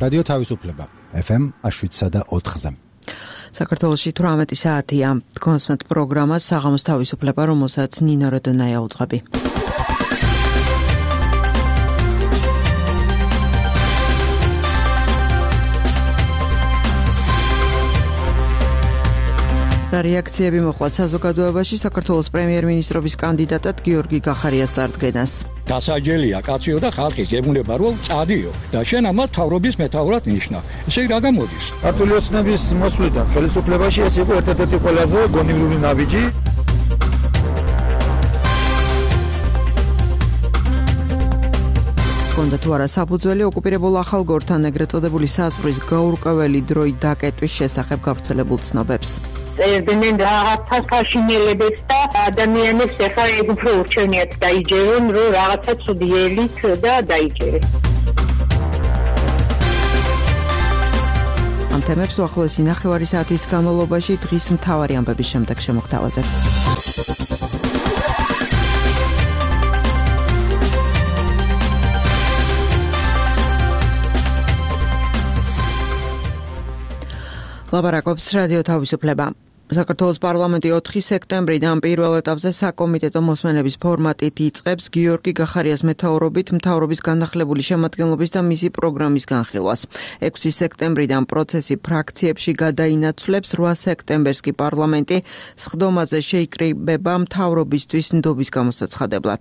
რადიო თავისუფლება FM 7.4-ზე. საქართველოში 18 საათია. გონსმეთ პროგრამა საღამოს თავისუფლება, რომელსაც ნინო როდონაია უძღვები. რეაქციები მოხდა საზოგადოებაში საქართველოს პრემიერ-მინისტრობის კანდიდატად გიორგი გახარიას წარდგენას. დასაჯელია კაციო და ხალხი გებუნება რომ წადიო და შენ ამათ თავრობის მეთაურად ნიშნა. ესე რა გამოდის? ქართული ოცნების მოსვლიდან ხელისუფლებაში ეს იყო ერთ-ერთი ყველაზე გონივრული ნაბიჯი. კონდა თუ არა საფუძველი ოკუპირებულ ახალგორთან ეგრეთ წოდებული საზღვრის გაურკვეველი დროით დაკეტვის შესახებ გავრცელებულ ცნობებს. წერდნენ რაღაცა საშინელებებს და ადამიანებს ახლა ეგ უფრო ურჩევნიათ დაიჯერონ, რომ რაღაცა ცუდილით და დაიჯერეს. ამ თემებს უახლოესი ნახევარი საათის განმავლობაში დღის მთავარი ამბების შემდეგ შემოგთავაზებთ. ლაპარაკობს რადიო თავისუფლება. საქართველოს პარლამენტი 4 სექტემბრიდან პირველ ეტაპზე საკომიტეტო მოსმენების ფორმატით იწყებს გიორგი გახარიას მეთაურობით მთავრობის განახლებული შემადგენლობის და მისი პროგრამის განხილვას. 6 სექტემბრიდან პროცესი ფრაქციებში გადაინაცვლებს, 8 სექტემბერს კი პარლამენტი სხდომაზე შეიკრიბება მთავრობისთვის ნდობის გამოსაცხადებლად.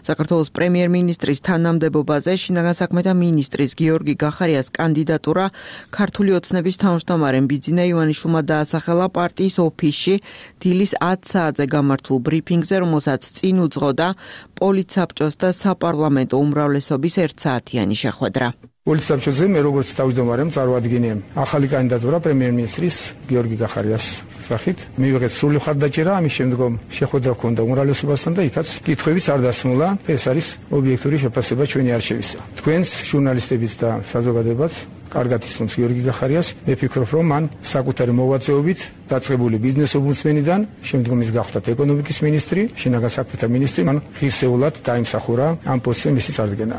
საქართველოს პრემიერ-მინისტრის თანამდებობაზე შინაგან საქმეთა მინისტრის გიორგი გახარიას კანდიდატურა ქართული ოცნების თავმჯდომარემ ბიძინა ივანიშვილმა დაასახელა პარტიის ოფისში დილის 10 საათზე გამართულ ბრიფინგზე, რომელსაც წინ უძღოდა პოლიცსაბჭოს და საპარლამენტო უმრავლესობის 1 საათიანი შეხვედრა. პოლიცსაბჭოზე მე როგორც თავმჯდომარემ წარვადგინე ახალი კანდიდატურა პრემიერ-მინისტრის გიორგი გახარიას სახით. მივიღეთ სრული მხარდაჭერა, ამის შემდგომ შეხვედრა ჰქონდა უმრავლესობასთან და იქაც კითხვებიც არ დასმულა. ეს არის ობიექტური შეფასება ჩვენი არჩევისა. თქვენს ჟურნალისტებიც და საზოგადოებაც კარგად ისმის გიორგი გახარიას. მე ვფიქრობ, რომ მან საკუთარი მოღვაწეობით დაწყებული ბიზნეს ომბუდსმენიდან შემდგომ ის გახდა ეკონომიკის მინისტრი, შინაგან საქმეთა მინისტრი, მან ღირსეულად დაიმსახურა ამ პოსტზე მისი წარდგენა.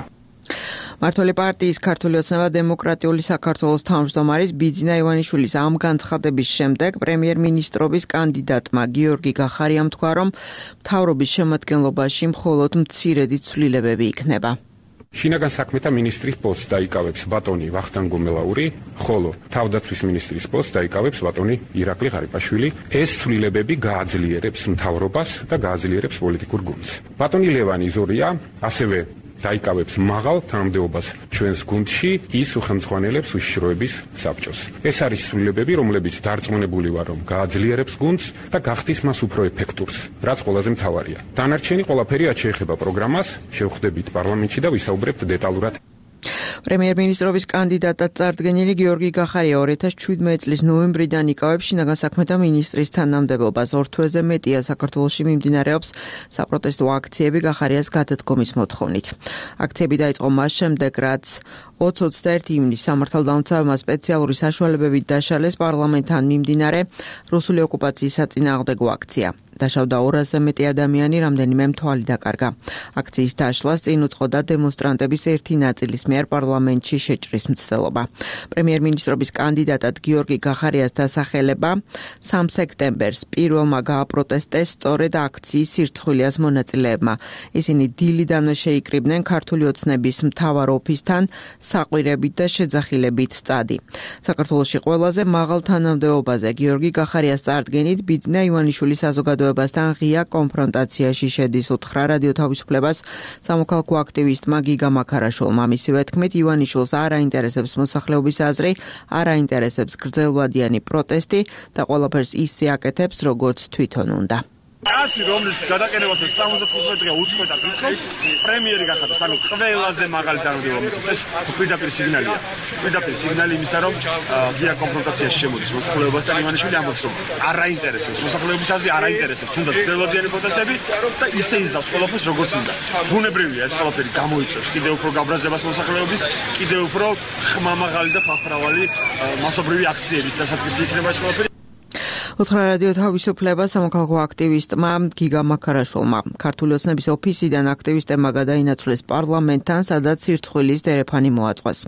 მართველი პარტიის ქართული ოცნება დემოკრატიული საქართველოს თავმჯდომარის ბიძინა ივანიშვილის ამ განცხადების შემდეგ პრემიერ-მინისტრობის კანდიდატმა გიორგი გახარიამ თქვა, რომ მთავრობის შემადგენლობაში მხოლოდ მცირედი ცვლილებები იქნება. შინაგან საქმეთა მინისტრის პოსტს დაიკავებს ბატონი ვახტანგ გუმელაური, ხოლო თავდაცვის მინისტრის პოსტს დაიკავებს ბატონი ირაკლი ღარიბაშვილი. ეს ცვლილებები გააძლიერებს მთავრობას და გააძლიერებს პოლიტიკურ გუნდს. ბატონი ლევანი ზორია ასევე დაიკავებს მაღალ თანამდებობას ჩვენს გუნდში, ის უხელმძღვანელებს უშიშროების საბჭოს. ეს არის ცვლილებები, რომლებიც დარწმუნებული ვარ, რომ გააძლიერებს გუნდს და გახდის მას უფრო ეფექტურს, რაც ყველაზე მთავარია. დანარჩენი ყველაფერი რაც შეეხება პროგრამას, შევხვდებით პარლამენტში და ვისაუბრებთ დეტალურად. პრემიერ-მინისტრობის კანდიდატად წარდგენილი გიორგი გახარია 2017 წლის ნოემბრიდან იკავებს შინაგან საქმეთა მინისტრის თანამდებობას. 2 თვეზე მეტია საქართველოში მიმდინარეობს საპროტესტო აქციები გახარიას გადადგომის მოთხოვნით. აქციები დაიწყო მას შემდეგ, რაც 20-21 ივნისს სამართალდამცავმა სპეციალური საშუალებებით დაშალეს პარლამენტთან მიმდინარე რუსული ოკუპაციის საწინააღმდეგო აქცია. დაშავდა 200-ზე მეტი ადამიანი, რამდენიმე მთვალი დაკარგა. აქციის დაშლას წინ უძღოდა დემონსტრანტების ერთი ნაწილის მიერ პარლამენტში შეჭრის მცდელობა. პრემიერ-მინისტრობის კანდიდატად გიორგი გახარიას დასახელება 3 სექტემბერს პირველმა გააპროტესტეს სწორედ აქციის სირცხვილიას მონაწილეებმა. ისინი დილიდანვე შეიკრიბნენ ქართული ოცნების მთავარ ოფისთან საყვირებით და შეძახილებით წადი. საქართველოში ყველაზე მაღალ თანამდებობაზე გიორგი გახარიას წარდგენით ბიძინა ივანიშვილის საზოგადოებასთან ღია კონფრონტაციაში შედის, უთხრა რადიო თავისუფლებას სამოქალაქო აქტივისტმა გიგა მაქარაშვილმა. მისივე თქმით, ივანიშვილს არ აინტერესებს მოსახლეობის აზრი, არ აინტერესებს გრძელვადიანი პროტესტი და ყველაფერს ისე აკეთებს, როგორც თვითონ უნდა. კაცი რომლის გადაყენებასაც 75 დღე უწყვეტ აკითხავს, პრემიერი გახადოს, ანუ ყველაზე მაღალი თანამდებობა მისცეს. ეს პირდაპირ სიგნალია. პირდაპირ სიგნალი იმისა, რომ ღია კონფრონტაციაში შემოდის მოსახლეობასთან. ივანიშვილი ამბობს, რომ არ აინტერესებს მოსახლეობის აზრი, არ აინტერესებს თუნდაც გრძელვადიანი პროტესტები და ისე იზავს ყველაფერს როგორც უნდა. ბუნებრივია ეს ყველაფერი გამოიწვევს კიდევ უფრო გაბრაზებას მოსახლეობის, კიდევ უფრო ხმამაღალი და ხალხმრავალი მასობრივი აქციების დასაწყისი იქნება ეს ყველაფერი. ოთხრა რადიო თავისუფლება სამოქალაქო აქტივისტმა გიგა მაქარაშვილმა ქართული ოცნების ოფისიდან აქტივისტებმა გადაინაცვლეს პარლამენტთან, სადაც სირცხვილის დერეფანი მოაწყვეს.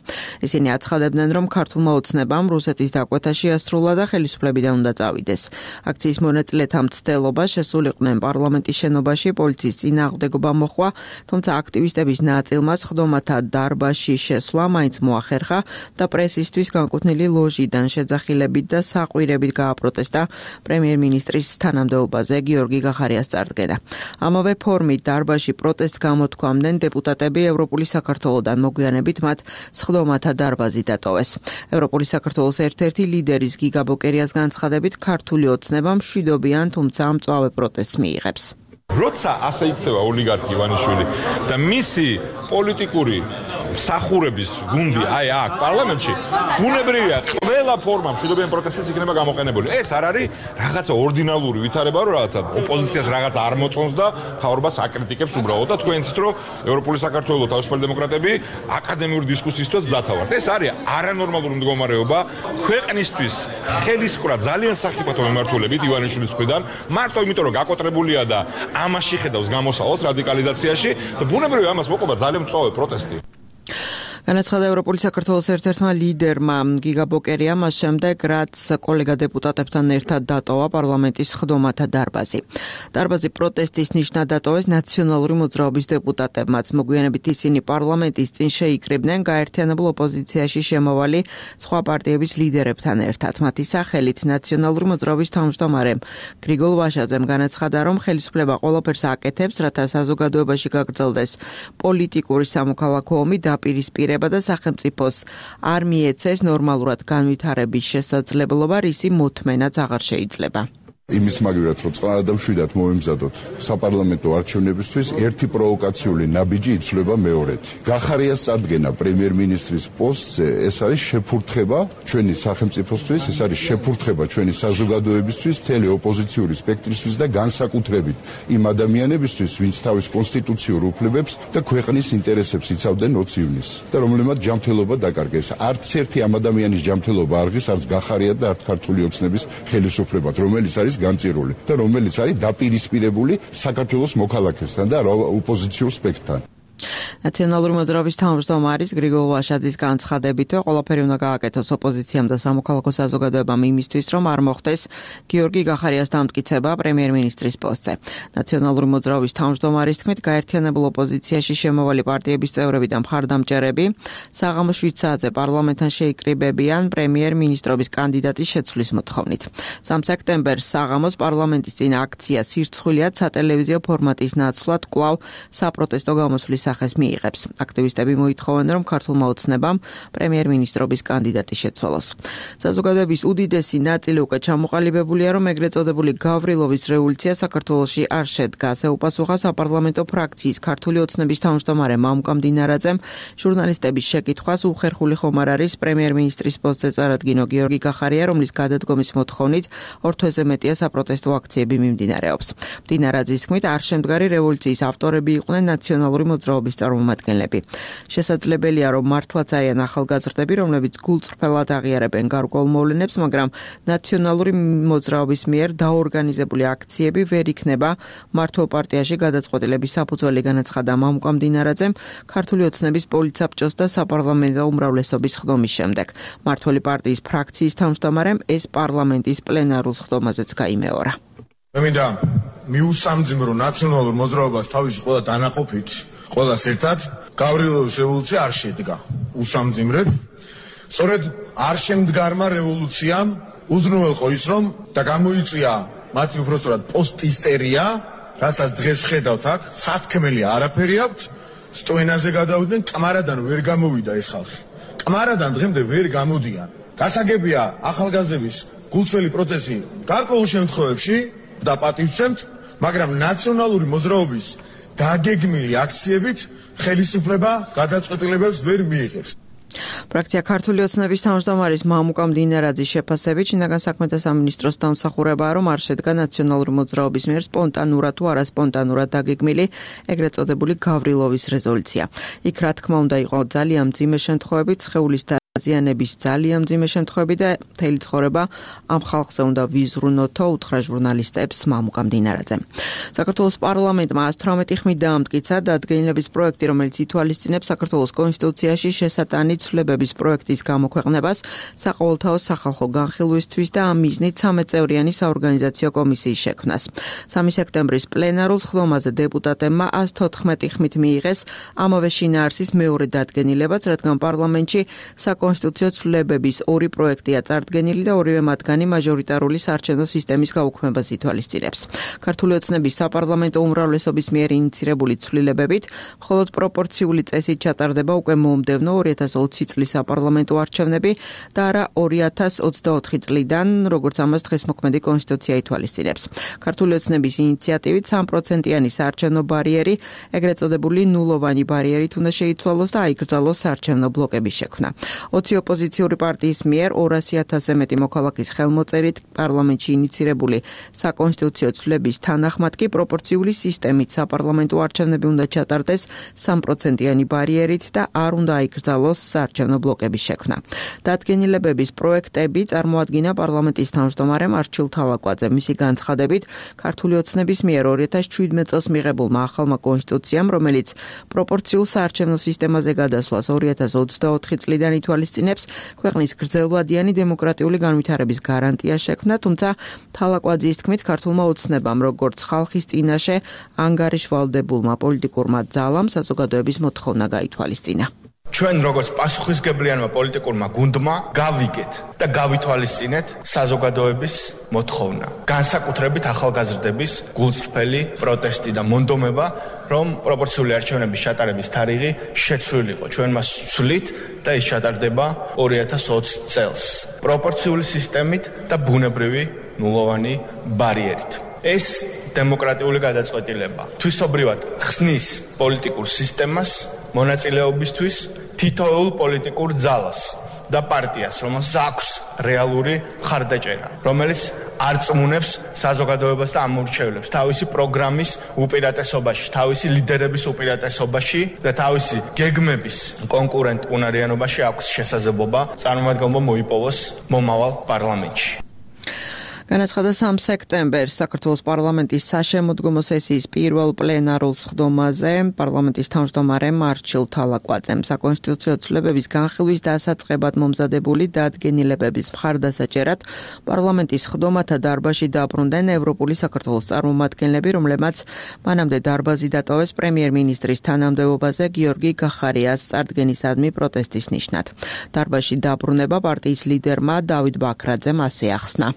ისინი აცხადებდნენ, რომ ქართულმა ოცნებამ რუსეთის დაკვეთა შეასრულა და ხელისუფლებიდან უნდა წავიდეს. აქციის მონაწილეთა მცდელობა შესულიყვნენ პარლამენტის შენობაში, პოლიციის წინააღმდეგობა მოხდა, თუმცა აქტივისტების ნაწილმა სხდომათა დარბაზში შესვლა მაინც მოახერხა და პრესისთვის განკუთვნილი ლოჟიდან შეძახილებით და საყვირებით გააპროტესტა პრემიერ-მინისტრის თანამდებობაზე გიორგი გახარიას წარდგენა. ამავე ფორმით დარბაზში პროტესტს გამოთქვამდნენ დეპუტატები ევროპული საქართველოდან, მოგვიანებით მათ სხდომათა დარბაზი დატოვეს. ევროპული საქართველოს ერთ-ერთი ლიდერის გიგა ბოკერიას განცხადებით, ქართული ოცნება მშვიდობიან, თუმცა მწვავე პროტესტს მიიღებს. როცა ასე იქცევა ოლიგარქი ივანიშვილი და მისი პოლიტიკური მსახურების გუნდი აი აქ პარლამენტში, უნებრივია ყველა ფორმა მშვიდობიან პროტესტის იქნება გამოყენებული. ეს არ არის რაღაცა ორდინალური ვითარება, რომ რაღაცა ოპოზიციას რაღაც არ მოწონს და მთავრობას აკრიტიკებს უბრალოდ და თქვენ იცით, რომ ევროპული საქართველოს თავისუფალი დემოკრატები აკადემიური დისკუსიისთვის მზათა ვართ. ეს არის არანორმალური მდგომარეობა ქვეყნისთვის ხელისყრა ძალიან სახიფათო მემართულებით ივანიშვილის მხრიდან, მარტო იმიტომ რომ გაკოტრებულია და ამაში ხედავს გამოსავალს რადიკალიზაციაში და ბუნებრივია ამას მოყვება ძალიან მწვავე პროტესტი. განაცხადა ევროპული საქართველოს ერთ-ერთმა ლიდერმა გიგა ბოკერიამ მას შემდეგ, რაც კოლეგა დეპუტატებთან ერთად დატოვა პარლამენტის სხდომათა დარბაზი. დარბაზი პროტესტის ნიშნად დატოვეს ნაციონალური მოძრაობის დეპუტატებმაც. მოგვიანებით ისინი პარლამენტის წინ შეიკრიბნენ გაერთიანებულ ოპოზიციაში შემავალი სხვა პარტიების ლიდერებთან ერთად. მათი სახელით ნაციონალური მოძრაობის თავმჯდომარე გრიგოლ ვაშაძემ განაცხადა, რომ ხელისუფლება ყველაფერს აკეთებს, რათა საზოგადოებაში გაგრძელდეს პოლიტიკური სამოქალაქო ომი დაპირისპირება და სახელმწიფოს არ მიეცეს ნორმალურად განვითარების შესაძლებლობა, რისი მოთმენაც აღარ შეიძლება. იმის მაგივრად, რომ წყნარად და მშვიდად მომემზადოთ საპარლამენტო არჩევნებისთვის, ერთი პროვოკაციული ნაბიჯი იცვლება მეორეთი. გახარიას წარდგენა პრემიერ-მინისტრის პოსტზე, ეს არის შეფურთხება ჩვენი სახელმწიფოსთვის, ეს არის შეფურთხება ჩვენი საზოგადოებისთვის, მთელი ოპოზიციური სპექტრისთვის და განსაკუთრებით იმ ადამიანებისთვის, ვინც თავის კონსტიტუციურ უფლებებს და ქვეყნის ინტერესებს იცავდნენ 20 ივნისს და რომლებმაც ჯანმრთელობა დაკარგეს. არც ერთი ამ ადამიანის ჯანმრთელობა არ ღირს, არც გახარია და არც ქართული ოცნების ხელისუფლებად, რომელიც არის განწირული და რომელიც არის დაპირისპირებული საქართველოს მოქალაქესთან და ოპოზიციურ სპექტრთან. ნაციონალური მოძრაობის თავმჯდომარის გრიგოლ ვაშაძის განცხადებით, ყველაფერი უნდა გააკეთოს ოპოზიციამ და სამოქალაქო საზოგადოებამ იმისთვის, რომ არ მოხდეს გიორგი გახარიას დამტკიცება პრემიერ-მინისტრის პოსტზე. ნაციონალური მოძრაობის თავმჯდომარის თქმით, გაერთიანებულ ოპოზიციაში შემავალი პარტიების წევრები და მხარდამჭერები საღამოს 7 საათზე პარლამენტთან შეიკრიბებიან პრემიერ-მინისტრობის კანდიდატის შეცვლის მოთხოვნით. 3 სექტემბერს საღამოს პარლამენტის წინ აქცია სირცხვილიად სატელევიზიო ფორმატის ნაცვლად კვლავ საპროტესტო გამოსვლის სახეს მიიღებს. აქტივისტები მოითხოვენ, რომ ქართულმა ოცნებამ პრემიერ-მინისტრობის კანდიდატი შეცვალოს. საზოგადოების უდიდესი ნაწილი უკვე ჩამოყალიბებულია, რომ ეგრეთ წოდებული გავრილოვის რევოლუცია საქართველოში არ შედგას. ეუპასუხა საპარლამენტო ფრაქციის ქართული ოცნების თავმჯდომარე მამუკა მდინარაძემ ჟურნალისტების შეკითხვას, უხერხული ხომ არ არის პრემიერ-მინისტრის პოსტზე წარადგინო გიორგი გახარია, რომლის გადადგომის მოთხოვნით 2 თვეზე მეტია საპროტესტო აქციები მიმდინარეობს. მდინარაძის თქმით, არ შემდგარი რევოლუციის ავტორები იყვნენ ნაციონალური მოძრაობის წარმომადგენლები. შესაძლებელია, რომ მართლაც არიან ახალგაზრდები, რომლებიც გულწრფელად აღიარებენ გარკვეულ მოვლენებს, მაგრამ ნაციონალური მოძრაობის მიერ დაორგანიზებული აქციები ვერ იქნება მართლ პარტიაში გადაწყვეტილების საფუძველი, განაცხადა მამუკა მდინარაძემ ქართული ოცნების პოლიცაბჭოს და საპარლამენტო უმრავლესობის სხდომის შემდეგ. მართლი პარტიის ფრაქციის თავმჯდომარემ ეს პარლამენტის პლენარულ სხდომაზეც გაიმეორა. მე მინდა მიუსამძიმრო ნაციონალურ მოძრაობას თავისი ყველა დანაყოფით ყველას ერთად გავრილოვის რევოლუცია არ შედგა უსამძიმრებ. სწორედ არ შემდგარმა რევოლუციამ უზრუნველყო ის, რომ და გამოიწვია მათი უпростоრად პოსტისტერია, რასაც დღეს ხედავთ აქ, სათქმელი არაფერი აქვს, სტოენაზე გადავიდნენ, კამარადან ვერ გამოვიდა ეს ხალხი. კამარადან დღემდე ვერ გამოდიან. გასაგებია ახალგაზრდების გულწრფელი პროტესტი გარკვეულ შემთხვევებში და პატივცემთ, მაგრამ ნაციონალური მოძრაობის დაგეგმილი აქციებით ხელისუფლება გადაწყვეტილებებს ვერ მიიღებს. ფრაქცია ქართული ოცნების თავმჯდომარის მამუკა მდინარაძის შეფასებით, შინაგან საქმეთა სამინისტროს დამსახურებაა, რომ არ შედგა ნაციონალური მოძრაობის მიერ სპონტანურად თუ არასპონტანურად დაგეგმილი ეგრეთ წოდებული გავრილოვის რეზოლუცია. იქ რა თქმა უნდა იყო ძალიან მძიმე შემთხვევები, სხეულის აზიანების ძალიან მძიმე შემთხვევები და მთელი ცხოვრება ამ ხალხზე უნდა ვიზრუნოთო, უთხრა ჟურნალისტებს მამუკა მდინარაძე. საქართველოს პარლამენტმა 118 ხმით დაამტკიცა დადგენილების პროექტი, რომელიც ითვალისწინებს საქართველოს კონსტიტუციაში შესატანი ცვლილებების პროექტის გამოქვეყნებას საყოველთაო სახალხო განხილვისთვის და ამ მიზნით 13 წევრიანი საორგანიზაციო კომისიის შექმნას. 3 სექტემბრის პლენარულ სხდომაზე დეპუტატებმა 114 ხმით მიიღეს ამავე შინაარსის მეორე დადგენილებაც, რადგან პარლამენტში საკონსტიტუციო ცვლილებების 2 პროექტია წარდგენილი და ორივე მათგანი მაჟორიტარული საარჩევნო სისტემის გაუქმებას ითვალისწინებს. ქართული ოცნების საპარლამენტო უმრავლესობის მიერ ინიცირებული ცვლილებებით, მხოლოდ პროპორციული წესით ჩატარდება უკვე მომდევნო 2020 წლის საპარლამენტო არჩევნები და არა 2024 წლიდან, როგორც ამას დღეს მოქმედი კონსტიტუცია ითვალისწინებს. ქართული ოცნების ინიციატივით 3%-იანი საარჩევნო ბარიერი, ეგრეთ წოდებული ნულოვანი ბარიერით უნდა შეიცვალოს და აიკრძალოს საარჩევნო ბლოკების შექმნა. 20 ოპოზიციური პარტიის მიერ 200,000-ზე მეტი მოქალაქის ხელმოწერით პარლამენტში ინიცირებული საკონსტიტუციო ცვლილების თანახმად კი პროპორციული სისტემით საპარლამენტო არჩევნები უნდა ჩატარდეს 3%-იანი ბარიერით და არ უნდა აიკრძალოს საარჩევნო ბლოკების შექმნა. დადგენილებების პროექტები წარმოადგინა პარლამენტის თავმჯდომარემ არჩილ თალაკვაძე. მისი განცხადებით, ქართული ოცნების მიერ 2017 წელს მიღებულმა ახალმა კონსტიტუციამ, რომელიც პროპორციულ საარჩევნო სისტემაზე გადასვლას 2024 წლიდან ითვალისწინებს, ქვეყნის გრძელვადიანი დემოკრატიული განვითარების გარანტია შექმნა, თუმცა თალაკვაძის თქმით, ქართულმა ოცნებამ, როგორც ხალხის წინაშე ანგარიშვალდებულმა პოლიტიკურმა ძალამ საზოგადოების მოთხოვნა გაითვალისწინა. ჩვენ როგორც პასუხისგებლიანმა პოლიტიკურმა გუნდმა გავიგეთ და გავითვალისწინეთ საზოგადოების მოთხოვნა. განსაკუთრებით ახალგაზრდების გულწრფელი პროტესტი და მონდომება, რომ პროპორციული არჩევნების ჩატარების თარიღი შეცვლილიყო. ჩვენ მას ვცვლით და ის ჩატარდება 2020 წელს. პროპორციული სისტემით და ბუნებრივი ნულოვანი ბარიერით. ეს დემოკრატიული გადაწყვეტილება თვისობრივად ხსნის პოლიტიკურ სისტემას მონაწილეობისთვის თითოეულ პოლიტიკურ ძალას და პარტიას, რომელსაც აქვს რეალური მხარდაჭერა, რომელიც არ წმუნებს საზოგადოებას და ამორჩევლებს თავისი პროგრამის უპირატესობაში, თავისი ლიდერების უპირატესობაში და თავისი გეგმების კონკურენტ უნარიანობაში აქვს შესაძლებლობა წარმომადგენლობა მოიპოვოს მომავალ პარლამენტში. განაცხადა 3 სექტემბერს საქართველოს პარლამენტის საშემოდგომო სესიის პირველ პლენარულ სხდომაზე პარლამენტის თავმჯდომარემ არჩილ თალაკვაძემ საკონსტიტუციო ცვლილებების განხილვის დასაწყებად მომზადებული დადგენილებების მხარდასაჭერად პარლამენტის სხდომათა დარბაზში დაბრუნდნენ ევროპული საქართველოს წარმომადგენლები, რომლებმაც მანამდე დარბაზი დატოვეს პრემიერ-მინისტრის თანამდებობაზე გიორგი გახარიას წარდგენისადმი პროტესტის ნიშნად. დარბაზში დაბრუნება პარტიის ლიდერმა დავით ბაქრაძემ ასე ახსნა.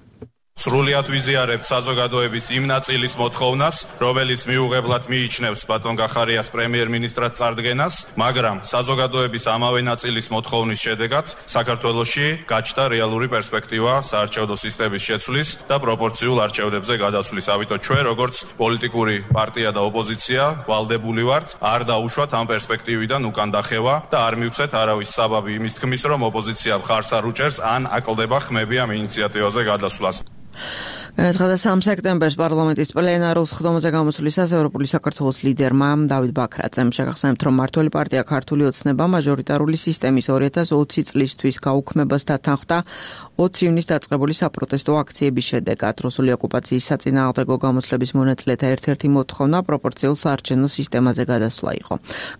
სრულიად ვიზიარებთ საზოგადოების იმ ნაწილის მოთხოვნას, რომელიც მიუღებლად მიიჩნევს ბატონ გახარიას პრემიერ-მინისტრად წარდგენას, მაგრამ საზოგადოების ამავე ნაწილის მოთხოვნის შედეგად საქართველოში გაჩნდა რეალური პერსპექტივა საარჩევნო სისტემის შეცვლის და პროპორციულ არჩევნებზე გადასვლის. ამიტომ ჩვენ, როგორც პოლიტიკური პარტია და ოპოზიცია, ვალდებული ვართ არ დაუშვათ ამ პერსპექტივიდან უკან დახევა და არ მივცეთ არავის საბაბი იმის თქმის, რომ ოპოზიცია მხარს არ უჭერს ან აკლდება ხმები ამ ინიციატივაზე გადასვლას. განაცხადა 3 სექტემბერს პარლამენტის პლენარულ სხდომაზე გამოსვლისას ევროპული საქართველოს ლიდერმა დავით ბაქრაძემ შეგახსენებთ, რომ მმართველი პარტია ქართული ოცნება მაჟორიტარული სისტემის 2020 წლისთვის გაუქმებას დათანხმდა 20 ივნისს დაწყებული საპროტესტო აქციების შედეგად. რუსული ოკუპაციის საწინააღმდეგო გამოსვლების მონაწილეთა ერთ-ერთი მოთხოვნა პროპორციულ საარჩევნო სისტემაზე გადასვლა იყო.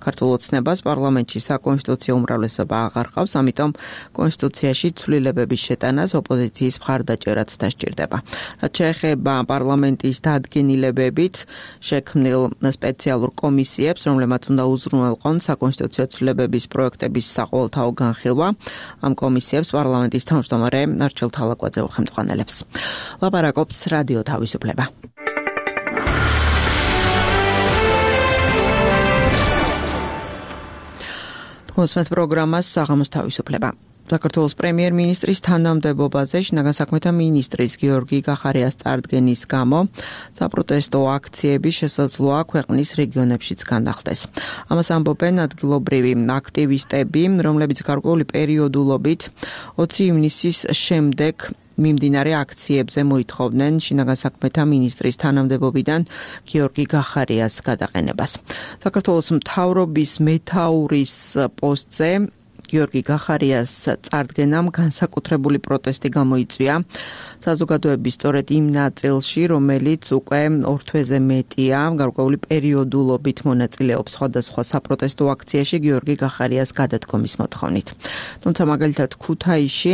ქართულ ოცნებას პარლამენტში საკონსტიტუციო უმრავლესობა აღარ ყავს, ამიტომ კონსტიტუციაში ცვლილებების შეტანას ოპოზიციის მხარდაჭერაც დასჭირდება. რაც შეეხება პარლამენტის დადგენილებებით შექმნილ სპეციალურ კომისიებს, რომლებმაც უნდა უზრუნველყონ საკონსტიტუციო ცვლილებების პროექტების საყოველთაო განხილვა, ამ კომისიებს პარლამენტის თავმჯდომარე არჩილ თალაკვაძე უხელმძღვანელებს. ლაპარაკობს რადიო თავისუფლება. თქოსმეთ პროგრამას საღამოს თავისუფლება. საქართველოს პრემიერ-მინისტრის თანამდებობაზე შინაგან საქმეთა მინისტრის გიორგი გახარიას წარდგენის გამო საპროტესტო აქციები შესაძლოა ქვეყნის რეგიონებშიც განახდეს. ამას ამბობენ ადგილობრივი აქტივისტები, რომლებიც გარკვეული პერიოდულობით 20 ივნისის შემდეგ მიმდინარე აქციებზე მოითხოვდნენ შინაგან საქმეთა მინისტრის თანამდებობიდან გიორგი გახარიას გადაყენებას. საქართველოს მთავრობის მეთაურის პოსტზე გიორგი გახარიას წარდგენამ განსაკუთრებული პროტესტი გამოიწვია საზოგადოების სწორედ იმ ნაწილში, რომელიც უკვე 2 თვეზე მეტია გარკვეული პერიოდულობით მონაწილეობს სხვადასხვა საპროტესტო აქციაში გიორგი გახარიას გადადგომის მოთხოვნით. თუმცა მაგალითად ქუთაისში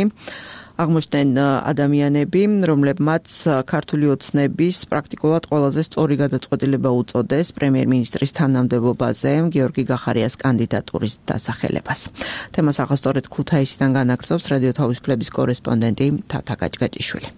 აღმოჩნდნენ ადამიანები, რომლებმაც ქართული ოცნების პრაქტიკულად ყველაზე სწორი გადაწყვეტილება უწოდეს პრემიერ-მინისტრის თანამდებობაზე გიორგი გახარიას კანდიდატურის დასახელებას. თემას ახასწორედ ქუთაისიდან განაგრძობს რადიო თავისუფლების კორესპონდენტი თათა გაჭგაჭიშვილი.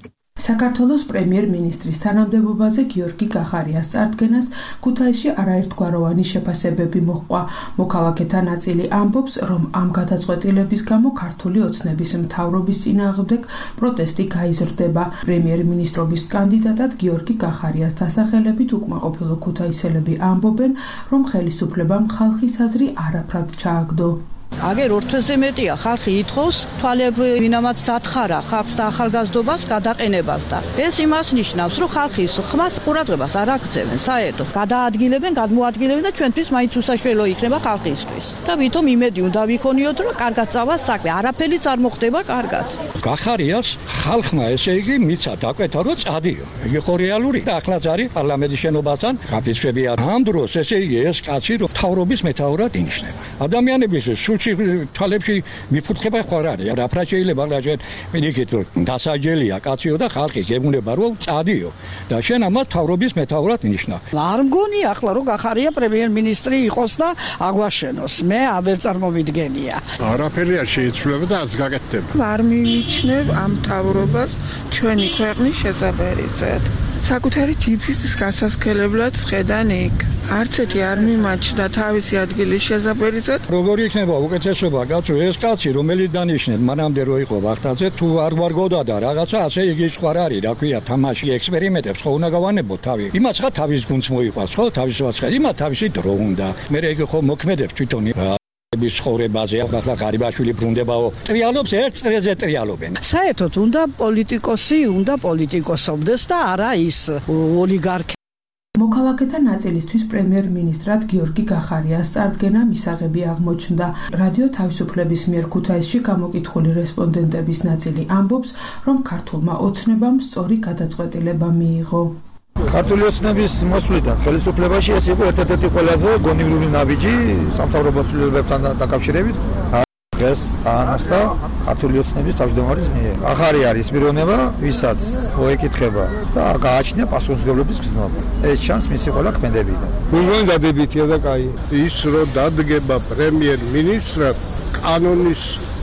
საქართველოს პრემიერ-მინისტრის თანამდებობაზე გიორგი გახარიას წარდგენას ქუთაისში არაერთგვაროვანი შეფასებები მოჰყვა. მოქალაქეთა ნაწილი ამბობს, რომ ამ გადაწყვეტილების გამო ქართული ოცნების მთავრობის წინააღმდეგ პროტესტი გაიზრდება. პრემიერ-მინისტრობის კანდიდატად გიორგი გახარიას დასახელებით უკმაყოფილო ქუთაისელები ამბობენ, რომ ხელისუფლებამ ხალხის აზრი არაფრად ჩააგდო. აგერ 2 თვეზე მეტია ხალხი ითხოვს თვალები ვინამაც დათხარა ხალხს და ახალგაზრდობას გადაყენებას და ეს იმას ნიშნავს, რომ ხალხის ხმას ყურადღებას არ აქცევენ საერთოდ. გადაადგილებენ, გადმოადგილებენ და ჩვენთვის მაინც უსაშველო იქნება ხალხისთვის. და ვითომ იმედი უნდა ვიქონიოთ, რომ კარგად წავა საქმე, არაფერიც არ მოხდება კარგად. გახარიას ხალხმა ესე იგი მიცა დაკვეთა რომ წადიო. იგი ხო რეალური და ახლაც არის პარლამენტის შენობასთან გაფიცვებია. ამ დროს ესე იგი ეს კაცი რომ მთავრობის მეთაურად ინიშნება. ადამიანების სულში თვალებში მიფურთხება ხარ არის. რა შეიძლება რა მენიქით რომ დასაჯელია კაციო და ხალხი გებუნება რომ წადიო და შენ ამათ მთავრობის მეთაურად ინიშნა. არ მგონი ახლა რომ გახარია პრემიერ-მინისტრი იყოს და აგვაშენოს. მე აღარ წარმოვიდგენია. არაფერი არ შეიცვლება და არც გაკეთდება. არ მივიჩნევ ამ მთავრობას ჩვენი ქვეყნის შესაბერისად. საკუთარი ჯიფის გასასქელებლად ხედან იქ. არც ერთი არ მიმაჩნდა თავისი ადგილის შესაბერისად. როგორი იქნება უკეთესობა კაცო ეს კაცი რომელიც დანიშნეთ მანამდე რო იყო ვახტაზე თუ არ ვარგოდა და რაღაცა ასე იგი სხვა არის რა ქვია თამაში ექსპერიმენტებს ხო უნდა გავანებო თავი. იმას ხა თავის გუნდს მოიყვას ხო თავის ვაცხარ იმათ თავისი დრო უნდა. მე იგი ხო მოქმედებს თვითონ bis ხორებაზე ახლა ღარიბაშვილი ბრუნდებაო ტრიალობს ერთ წრეზე ტრიალობენ საერთოდ უნდა პოლიტიკოსი უნდა პოლიტიკოსობდეს და არა ის ოლიგარქი მოქალაქეთა ნაწილისთვის პრემიერ-მინისტრად გიორგი გახარიას წარდგენა მისაღები აღმოჩნდა. რადიო თავისუფლების მიერ ქუთაისში გამოკითხული რესპონდენტების ნაწილი ამბობს, რომ ქართულმა ოცნებამ სწორი გადაწყვეტილება მიიღო. ქართული ოცნების მოსვლიდან ხელისუფლებაში ეს იყო ერთ-ერთი ყველაზე გონივრული ნაბიჯი სამთავრობო ცვლილებებთან დაკავშირებით. დღეს აანაცვლა ქართული ოცნების თავმჯდომარის მიერ. ახალი არის პიროვნება, ვისაც მოეკითხება და გააჩნია პასუხისმგებლობის გზნობა. ეს ჩანს მისი ყველა ქმედებიდან. გულგან დადებითია და კაი. ის რომ დადგება პრემიერ-მინისტრად კანონის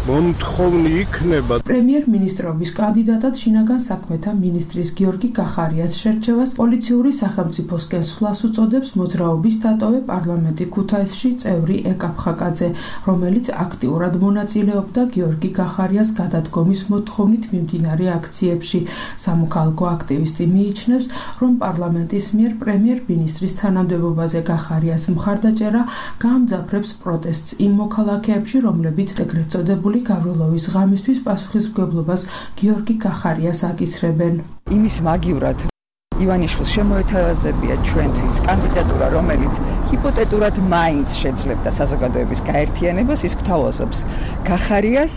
მომთხოვნი იქნება. პრემიერ-მინისტრობის კანდიდატად შინაგან საქმეთა მინისტრის გიორგი გახარიას შერჩევას პოლიციური სახელმწიფოსკენ სვლას უწოდებს მოძრაობის დატოვე პარლამენტი ქუთაისში წევრი ეკა ფხაკაძე, რომელიც აქტიურად მონაწილეობდა გიორგი გახარიას გადადგომის მოთხოვნით მიმდინარე აქციებში. სამოქალაქო აქტივისტი მიიჩნევს, რომ პარლამენტის მიერ პრემიერ-მინისტრის თანამდებობაზე გახარიას მხარდაჭერა გაამძაფრებს პროტესტს იმ მოქალაქეებში, რომლებიც ეგრეთ წოდებული გავრილოვის ღამისთვის პასუხისმგებლობას გიორგი გახარიას აკისრებენ. იმის მაგივრად ივანიშვილს შემოეთავაზებია ჩვენთვის კანდიდატურა, რომელიც ჰიპოთეტურად მაინც შეძლებდა საზოგადოების გაერთიანებას, ის გვთავაზობს გახარიას,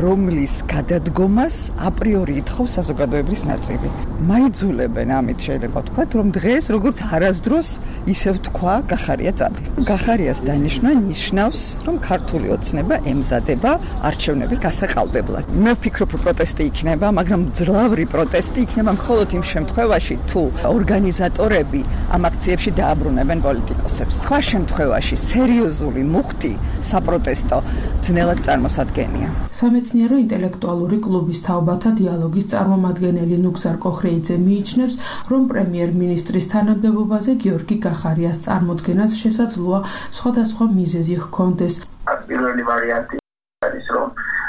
რომლის გადადგომას აპრიორი ითხოვს საზოგადოების ნაწილი. მაიძულებენ ამით შეიძლება ვთქვათ, რომ დღეს როგორც არასდროს ისევ თქვა გახარია წადი. გახარიას დანიშვნა ნიშნავს, რომ ქართული ოცნება ემზადება არჩევნების გასაყალბებლად. მე ვფიქრობ, რომ პროტესტი იქნება, მაგრამ ძლავრი პროტესტი იქნება მხოლოდ იმ შემთხვევაში, თუ ორგანიზატორები ამ აქციებში დააბრუნებენ პოლიტიკოსებს. სხვა შემთხვევაში სერიოზული მუხტი საპროტესტო ძნელად წარმოსადგენია. სამეცნიერო ინტელექტუალური კლუბის თაობათა დიალოგის წარმომადგენელი ნუგზარ კოხრეიძე მიიჩნევს, რომ პრემიერ-მინისტრის თანამდებობაზე გიორგი გახარიას წარმოდგენას შესაძლოა სხვადასხვა მიზეზი ჰქონდეს. პირველი ვარიანტი არის, რომ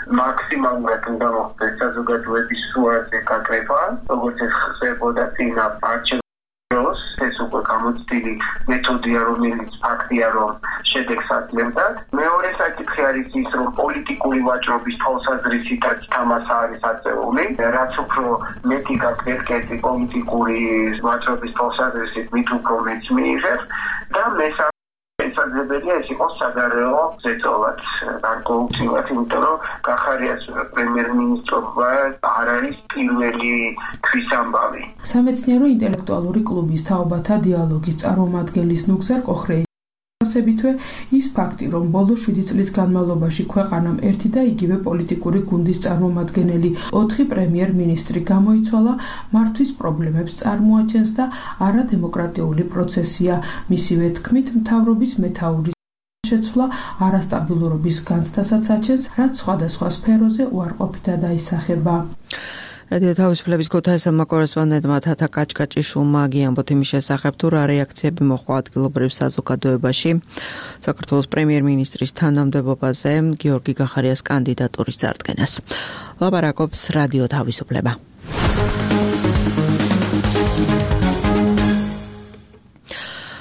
მაქსიმალურად უნდა მოხდეს საზოგადოების სურათზე გაკრება, როგორც ეს ხდებოდა წინა არჩევნებს, ეს უკვე გამოცდილი მეთოდია, რომელიც ფაქტია, რომ შედეგს აძლევდა. მეორე საკითხი არის ის, რომ პოლიტიკური ვაჭრობის თვალსაზრისითაც თამასა არის აწეული, რაც უფრო მეტი გაკეთება პოლიტიკური ვაჭრობის თვალსაზრისით, მით უფრო მეც მიიღებს და მესამე ეს შესაძლებელია ეს იყოს საგარეო ზეწოლად, გარკვეულწილად, იმიტომ რომ გახარიას პრემიერ-მინისტრობა არ არის პირველი თვის ამბავი. სამეცნიერო ინტელექტუალური კლუბის თაობათა დიალოგის წარმომადგენლის ნუგზარ კოხრეი ასებითვე ის ფაქტი, რომ ბოლო 7 წლის განმავლობაში ქვეყანამ ერთი და იგივე პოლიტიკური გუნდის წარმომადგენელი 4 პრემიერ-მინისტრი გამოიცვალა, მართვის პრობლემებს წარმოაჩენს და არადემოკრატიული პროცესია. მისივე თქმით, მთავრობის მეთაურის შეცვლა არასტაბილურობის განცდასაც აჩენს, რაც სხვადასხვა სფეროზე უარყოფითად აისახება. რადიო თავისუფლების ქუთაისელმა კორესპონდენტმა თათა კაჭკაჭიშვილმა გიამბოთ იმის შესახებ, თუ რა რეაქციები მოჰყვა ადგილობრივ საზოგადოებაში საქართველოს პრემიერ-მინისტრის თანამდებობაზე გიორგი გახარიას კანდიდატურის წარდგენას. ლაპარაკობს რადიო თავისუფლება.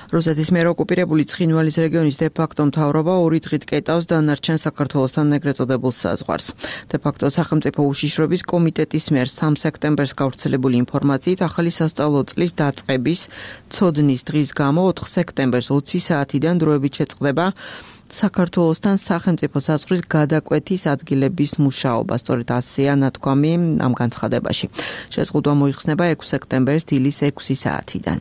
რუსეთის მიერ ოკუპირებული ცხინვალის რეგიონის დე-ფაქტო მთავრობა 2 დღით კეტავს დანარჩენ საქართველოსთან ეგრეთ წოდებულ საზღვარს. დე-ფაქტო სახელმწიფო უშიშროების კომიტეტის მიერ 3 სექტემბერს გავრცელებული ინფორმაციით ახალი სასწავლო წლის დაწყების ცოდნის დღის გამო 4 სექტემბერს 20 საათიდან დროებით შეწყდება საქართველოსთან სახელმწიფო საზღვრის გადაკვეთის ადგილების მუშაობა. სწორედ ასეა ნათქვამი ამ განცხადებაში. შეზღუდვა მოიხსნება 6 სექტემბერს დილის 6 საათიდან.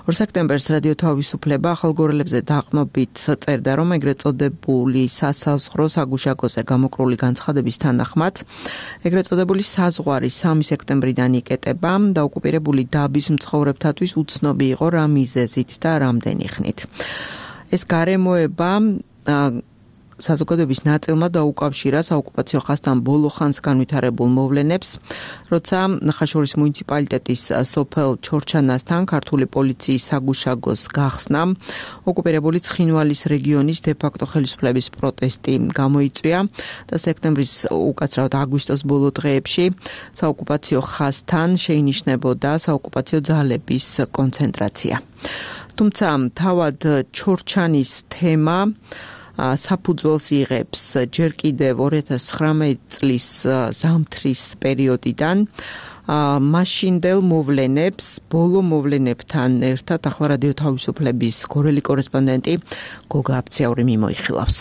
2 სექტემბერს რადიო თავისუფლება ახალგორელებზე დაყნობით წერდა, რომ ეგრეთ წოდებული სასაზღვრო საგუშაგოზე გამოკრული განცხადების თანახმად ეგრეთ წოდებული საზღვარი 3 სექტემბრიდან იკეტება და ოკუპირებული დაბის მცხოვრებთათვის უცნობი იყო რა მიზეზით და რამდენი ხნით. ეს გარემოება საზოგადოების ნაწილმა დაუკავშირა საოკუპაციო ხაზთან ბოლო ხანს განვითარებულ მოვლენებს, როცა ხაშურის მუნიციპალიტეტის სოფელ ჩორჩანასთან ქართული პოლიციის საგუშაგოს გახსნამ ოკუპირებული ცხინვალის რეგიონის დე-ფაქტო ხელისუფლების პროტესტი გამოიწვია და სექტემბრის უკაცრავად აგვისტოს ბოლო დღეებში საოკუპაციო ხაზთან შეინიშნებოდა საოკუპაციო ძალების კონცენტრაცია. თუმცა თავად ჩორჩანის თემა საფუძველს იღებს ჯერ კიდევ 2019 წლის ზამთრის პერიოდიდან მაშინდელ მოვლენებს, ბოლო მოვლენებთან ერთად ახლა რადიო თავისუფლების გორელი კორესპონდენტი გოგა აფციაური მიმოიხილავს.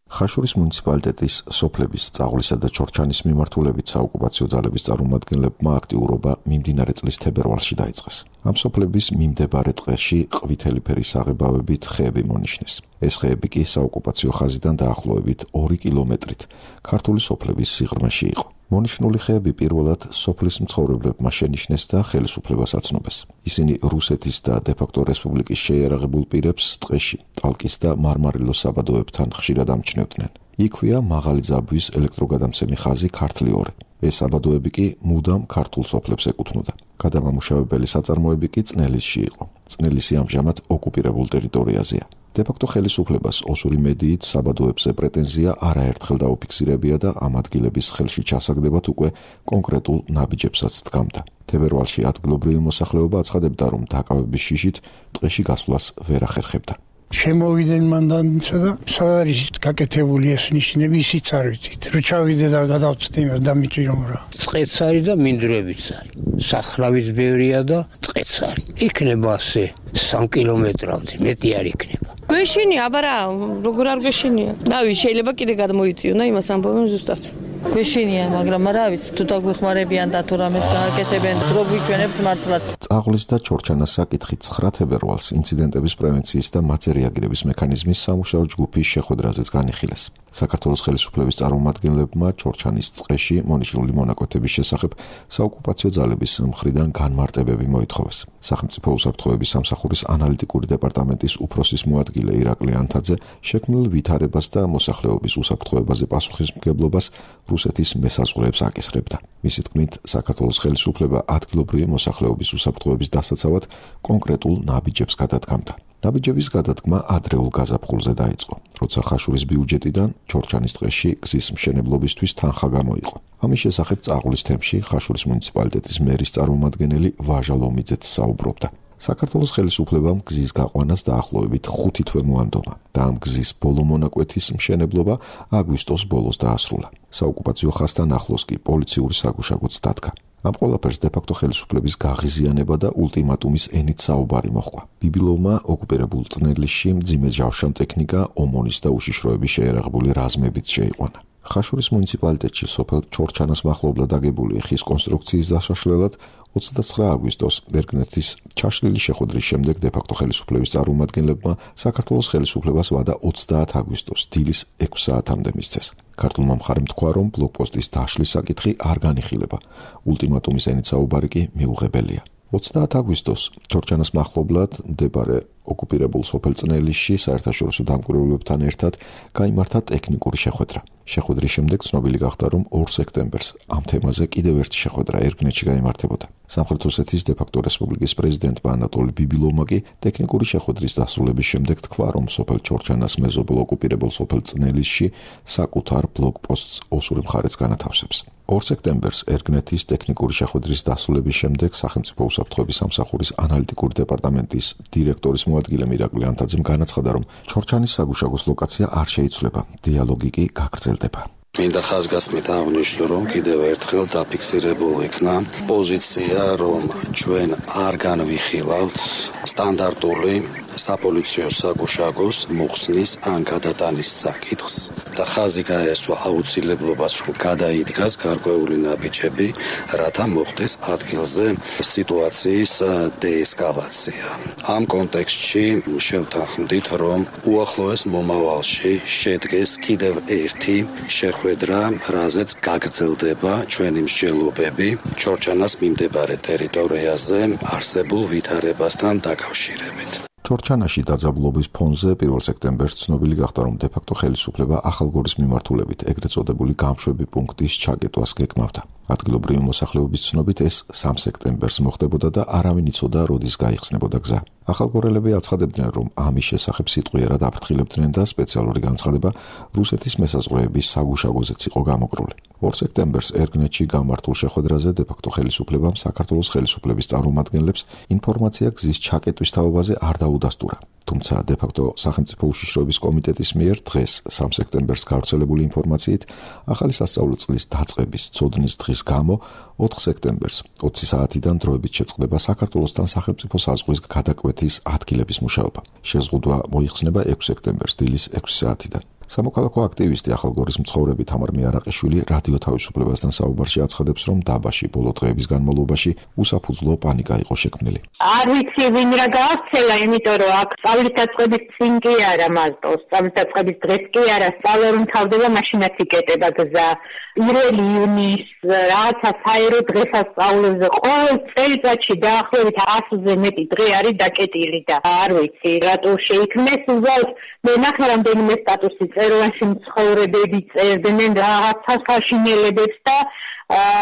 ხაშურის მუნიციპალიტეტის სოფლების წაღვლისა და ჩორჩანის მიმართულებით საოკუპაციო ძალების წარმომადგენლებმა აქტიურობა მიმდინარე წლის თებერვალში დაიწყეს. ამ სოფლების მიმდებარე ტყეში ყვითელი ფერის საღებავებით ხეები მონიშნეს. ეს ხეები კი საოკუპაციო ხაზიდან დაახლოებით 2 კილომეტრით ქართული სოფლების სიღრმეში იყო. მონიშნული ხეები პირველად სოფლის მცხოვრებლებმა შენიშნეს და ხელისუფლებას აცნობეს. ისინი რუსეთის და დე-ფაქტო რესპუბლიკის შეიარაღებულ პირებს ტყეში, ტალკის და მარმარილოს საბადოებთან ხშირად ამჩნევდნენ. იქვეა მაღალი ძაბვის ელექტროგადამცემი ხაზი ქართლი 2. ეს საბადოები კი მუდამ ქართულ სოფლებს ეკუთვნოდა. გადამამუშავებელი საწარმოები კი წნელისში იყო. წნელისი ამჟამად ოკუპირებულ ტერიტორიაზეა. დე-ფაქტო ხელისუფლებას ოსური მედიით საბადოებზე პრეტენზია არაერთხელ დაუფიქსირებია და ამ ადგილების ხელში ჩასაგდებად უკვე კონკრეტულ ნაბიჯებსაც დგამდა. თებერვალში ადგილობრივი მოსახლეობა აცხადებდა, რომ დაკავების შიშით ტყეში გასვლას ვერ ახერხებდა. შემოვიდნენ მანდანცა და სად არის გაკეთებული ეს ნიშნები, ისიც არ ვიცით. რო ჩავიდე და გადავწვდი იმას დამიჭირომ რა. ტყეც არის და მინდვრებიც არის. სახრავის ბევრია და ტყეც არის. იქნება ასე 3 კილომეტრავით, მეტი არ იქნება. გვეშინია, აბარა, როგორ არ გვეშინია. რავი, შეიძლება კიდე გადმოიწიონ და იმას ამბობენ ზუსტად. გვეშინია, მაგრამ რა ვიცი, თუ დაგვეხმარებიან და თუ რამეს გააკეთებენ, დრო გვიჩვენებს მართლაც. წაღლის და ჩორჩანას საკითხი 9 თებერვალს ინციდენტების პრევენციის და მათზე რეაგირების მექანიზმის სამუშაო ჯგუფის შეხვედრაზეც განიხილეს. საქართველოს ხელისუფლების წარმომადგენლებმა ჩორჩანის ტყეში მონიშნული მონაკვეთების შესახებ საოკუპაციო ძალების მხრიდან განმარტებები მოითხოვეს. სახელმწიფო უსაფრთხოების სამსახურის ანალიტიკური დეპარტამენტის უფროსის მოადგილე ირაკლი ანთაძე შექმნილ ვითარებას და მოსახლეობის უსაფრთხოებაზე პასუხისმგებლობას რუსეთის მესაზღვრეებს აკისრებდა. მისი თქმით, საქართველოს ხელისუფლება ადგილობრივი მოსახლეობის უსაფრთხოების დასაცავად კონკრეტულ ნაბიჯებს გადადგამდა. ნაბიჯების გადადგმა ადრეულ გაზაფხულზე დაიწყო, როცა ხაშურის ბიუჯეტიდან ჩორჩანის ტყეში გზის მშენებლობისთვის თანხა გამოიყო. ამის შესახებ წაღლის თემში ხაშურის მუნიციპალიტეტის მერის წარმომადგენელი ვაჟა ლომიძეც საუბრობდა. საქართველოს ხელისუფლებამ გზის გაყვანას დაახლოებით 5 თვე მოანდომა და ამ გზის ბოლო მონაკვეთის მშენებლობა აგვისტოს ბოლოს დაასრულა. საოკუპაციო ხაზთან ახლოს კი პოლიციური საგუშაგოც დადგა. ამ ყველაფერს დე-ფაქტო ხელისუფლების გაღიზიანება და ულტიმატუმის ენით საუბარი მოჰყვა. ბიბილოვმა ოკუპირებულ წნელისში მძიმე ჯავშან ტექნიკა, ომონის და უშიშროების შეერაღებული რაზმებით შეიყვანა. ხაშურის მუნიციპალიტეტში სოფელ ჩორჩანას მახლობლად აგებული ხის კონსტრუქციის დასაშლელად 29 აგვისტოს ერგნეთის ჩაშლილი შეხვედრის შემდეგ დე-ფაქტო ხელისუფლების წარმომადგენლებმა საქართველოს ხელისუფლებას ვადა 30 აგვისტოს დილის 6 საათამდე მისცეს. ქართულმა მხარემ თქვა, რომ ბლოკპოსტის დაშლის საკითხი არ განიხილება. ულტიმატუმის ენით საუბარი კი მიუღებელია. 30 აგვისტოს ჩორჩანას მახლობლად მდებარე ოკუპირებულ სოფელ წნელისში საერთაშორისო დამკვირვებლებთან ერთად გაიმართა ტექნიკური შეხვედრა. შეხვედრის შემდეგ ცნობილი გახდა, რომ 2 სექტემბერს ამ თემაზე კიდევ ერთი შეხვედრა ერგნეთში გაიმართებოდა. სამხრეთ ოსეთის დე-ფაქტო რესპუბლიკის პრეზიდენტმა ანატოლი ბიბილოვმა კი ტექნიკური შეხვედრის დასრულების შემდეგ თქვა, რომ სოფელ ჩორჩანას მეზობლ ოკუპირებულ სოფელ წნელისში საკუთარ ბლოკპოსტს ოსური მხარეც განათავსებს. 2 სექტემბერს ერგნეთის ტექნიკური შეხვედრის დასრულების შემდეგ სახელმწიფო უსაფრთხოების სამსახურის ანალიტიკური დეპარტამენტის დირექტორის მოადგილე მირაკლი ანთაძემ განაცხადა, რომ ჩორჩანის საგუშაგოს ლოკაცია არ შეიცვლება, დიალოგი კი გაგრძელდება. მინდა ხაზგასმით აღვნიშნო, რომ კიდევ ერთხელ დაფიქსირებულ იქნა პოზიცია, რომ ჩვენ არ განვიხილავთ სტანდარტული საპოლიციო საგუშაგოს მოხსნის ან გადატანის საკითხს და ხაზი გაესვა აუცილებლობას, რომ გადაიდგას გარკვეული ნაბიჯები, რათა მოხდეს ადგილზე სიტუაციის დეესკალაცია. ამ კონტექსტში შევთანხმდით, რომ უახლოეს მომავალში შედგეს კიდევ ერთი შეხვედრა, რაზეც გაგრძელდება ჩვენი მსჯელობები ჩორჩანას მიმდებარე ტერიტორიაზე არსებულ ვითარებასთან დაკავშირებით. ჩორჩანაში დაძაბულობის ფონზე 1 სექტემბერს ცნობილი გახდა, რომ დე-ფაქტო ხელისუფლება ახალგორის მიმართულებით ეგრეთ წოდებული გამშვები პუნქტის ჩაკეტვას გეკმავდა. ადგილობრივი მოსახლეობის ცნობით ეს 3 სექტემბერს მოხდებოდა და არავინ იცოდა, როდის გაიხსნებოდა გზა. ახალგორელები აცხადებდნენ, რომ ამის შესახებ სიტყვიერად აფრთხილებდნენ და სპეციალური განცხადება რუსეთის მესაზღვრეების საგუშაგოზეც იყო გამოკრული. 2 სექტემბერს ერგნეთში გამართულ შეხვედრაზე დე-ფაქტო ხელისუფლებამ საქართველოს ხელისუფლების წარმომადგენლებს ინფორმაცია გზის ჩაკეტვის თაობაზე არ დაუდასტურა. თუმცა დე-ფაქტო სახელმწიფო უშიშროების კომიტეტის მიერ დღეს 3 სექტემბერს გავრცელებული ინფორმაციით ახალი სასწავლო წლის დაწყების ცოდნის დღის გამო 4 სექტემბერს 20 საათიდან დროებით შეწყდება საქართველოსთან სახელმწიფო საზღვრის გადაკვეთის ადგილების მუშაობა. შეზღუდვა მოიხსნება 6 სექტემბერს დილის 6 საათიდან. სამოქალაქო აქტივისტი ახალგორის მცხოვრები თამარ მიარაყიშვილი რადიო თავისუფლებასთან საუბარში აცხადებს, რომ დაბაში ბოლო დღეების განმავლობაში უსაფუძვლო პანიკა იყო შექმნილი. არ ვიცი ვინ რა გააცელა, იმიტომ რომ აქ სწავლის დაწყების წინ კი არა მარტო, სწავლის დაწყების დღეს კი არა, სწავლა რომ თავდება მაშინაც იკეტება გზა. 1 იუნის რაღაცა საერო დღესასწაულებზე ყოველ წელიწადში დაახლოებით 100-ზე მეტი დღე არის დაკეტილი და არ ვიცი რატო შეიქმნეს უბრალოდ მე ნახე რამდენიმე სტატუსი წერილში მცხოვრებები წერდნენ რაღაცა საშინელებებს და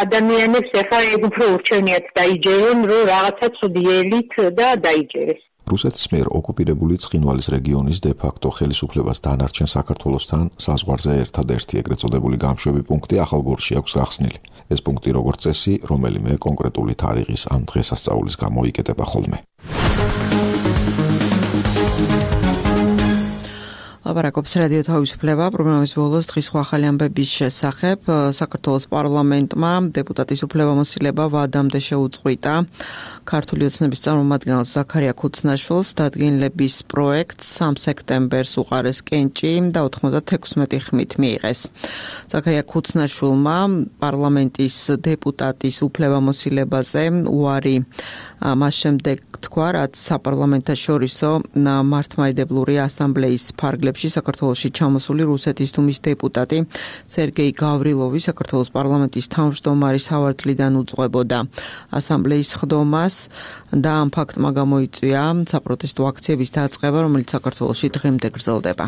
ადამიანებს ეხლა ეგ უფრო ურჩევნიათ დაიჯერონ, რომ რაღაცა ცუდი ელით და დაიჯერეს. რუსეთის მიერ ოკუპირებული ცხინვალის რეგიონის დე-ფაქტო ხელისუფლებას დანარჩენ საქართველოსთან საზღვარზე ერთადერთი ეგრეთ წოდებული გამშვები პუნქტი ახალგორში აქვს გახსნილი. ეს პუნქტი როგორც წესი, რომელიმე კონკრეტული თარიღის ან დღესასწაულის გამო იკეტება ხოლმე. ლაპარაკობს რადიო თავისუფლება პროგრამის ბოლოს დღის სხვა ახალი ამბების შესახებ. საქართველოს პარლამენტმა დეპუტატის უფლებამოსილება ვადამდე შეუწყვიტა. ქართული ოცნების წარმომადგენელ ზაქარია ქუცნაშვილს დადგენილების პროექტს 3 სექტემბერს უყარეს კენჭი და 96 ხმით მიიღეს. ზაქარია ქუცნაშვილმა პარლამენტის დეპუტატის უფლებამოსილებაზე უარი მას შემდეგ თქვა, რაც საპარლამენტაშორისო მართლმადიდებლური ასამბლეის ფარგლებში საქართველოში ჩამოსული რუსეთის დუმის დეპუტატი სერგეი გავრილოვი საქართველოს პარლამენტის თავმჯდომარის სავარძლიდან უძღვებოდა ასამბლეის ხდომას და ამ ფაქტმა გამოიწვია საპროტესტო აქციების დაწყება, რომელიც საქართველოში დღემდე გრძელდება.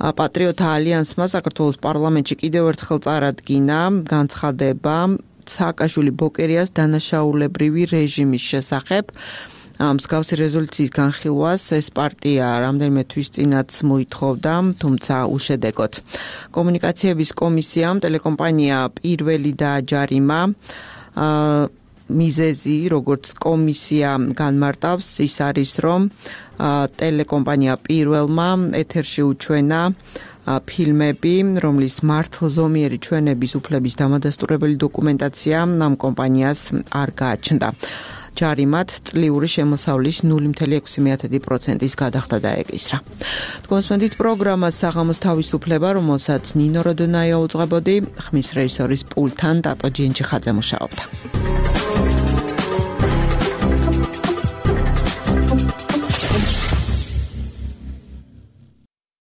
პატრიოტთა ალიანსმა საქართველოს პარლამენტში კიდევ ერთხელ წარადგინა განცხადება სააკაშვილი ბოკერიას დანაშაულებრივი რეჟიმის შესახებ. მსგავსი რეზოლუციის განხილვას ეს პარტია რამდენიმე თვის წინაც მოითხოვდა, თუმცა უშედეგოდ. კომუნიკაციების კომისიამ ტელეკომპანია პირველი დააჯარიმა მიზეზი, როგორც კომისია განმარტავს, ის არის, რომ ტელეკომპანია პირველმა ეთერში უჩვენა ფილმები, რომლის მართლზომიერი ჩვენების უფლების დამადასტურებელი დოკუმენტაცია ამ კომპანიას არ გააჩნდა. ჯარიმად წლიური შემოსავლის 0.6%-ის გადახდა დაეკისრა. თქვენსმენდით პროგრამას საღამოს თავისუფლება, რომელსაც ნინო როდონაია უძღვებოდი, ხმის რეჟისორის პულტთან დატო ჯინჯიხაძე მუშაობდა.